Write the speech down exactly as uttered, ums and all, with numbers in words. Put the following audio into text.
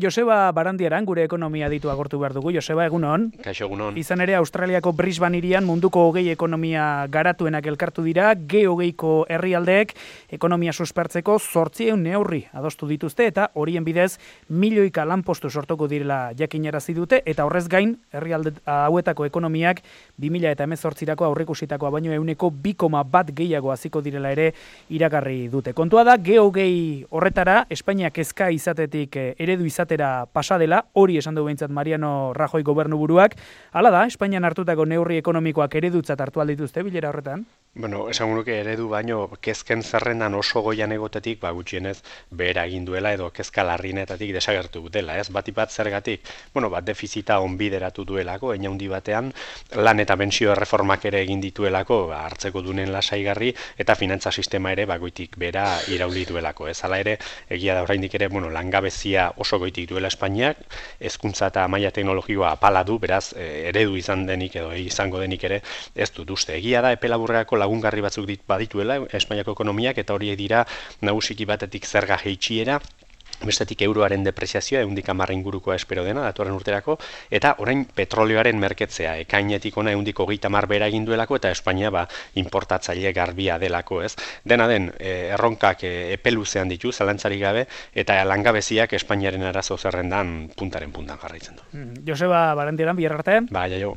Joseba Barandiaran gure ekonomia ditu agortu behar dugu. Joseba, egunon. Kaixo, egunon. Izan ere, Australiako Brisbane hirian munduko hogei ekonomia garatuenak elkartu dira, G hogeiko herrialdeek ekonomia suspertzeko zortziehun neurri adostu dituzte eta horien bidez milioika lanpostu sortuko direla jakinarazi dute eta horrez gain herrialde hauetako ekonomiak bi mila hemezortzirako aurreikusitakoa baino ehuneko bi koma bat gehiago hasiko direla ere iragarri dute. Kontua da, G hogei horretara Espainiak kezka izatetik eredu izatera pasa dela, hori esan du behintzat Mariano Rajoy gobernuburuak. Hala da, Espainian hartutako neurri ekonomikoak eredutzat hartu aldituzte bilera horretan? Bueno, esan nuke eredu baino kezken zerrendan oso goian egotetik, ba gutxienez behera egin duela edo kezka larrienetatik desagertu dela, ez? Batik bat zergatik, bueno, bat defizita onbideratu duelako, hein handi batean, lan eta pentsio erreformak ere egin dituelako, ba, hartzeko dunen lasaigarri eta finantza sistema ere bagoitik bera irauli duelako, ez? Hala ere, egia da oraindik ere, bueno, langabezia oso goitik duela Espainiak, hezkuntza eta maila teknologikoa apala du, beraz, eredu izan denik edo izango denik ere ez dut uste. Egia da, epe laburrerako lagungarri batzuk dit badituela Espainiako ekonomiak eta horiek dira nagusiki batetik zerga jaitsiera, bestetik euroaren depreziazioa ehundik hamar ingurukoa espero dena datorren urterako eta orain petrolioaren merketzea ekainetik ona ehundik hogeita hamar behera egin duelako eta Espainia ba inportatzaile garbia delako, ez? Dena den eh, erronkak eh, epe luzean ditu zalantzarik gabe eta langabeziak Espainiaren arazo zerrendan puntaren puntan jarraitzen du. Mm, Joseba Barandieran bihar arte. Ba, jaio.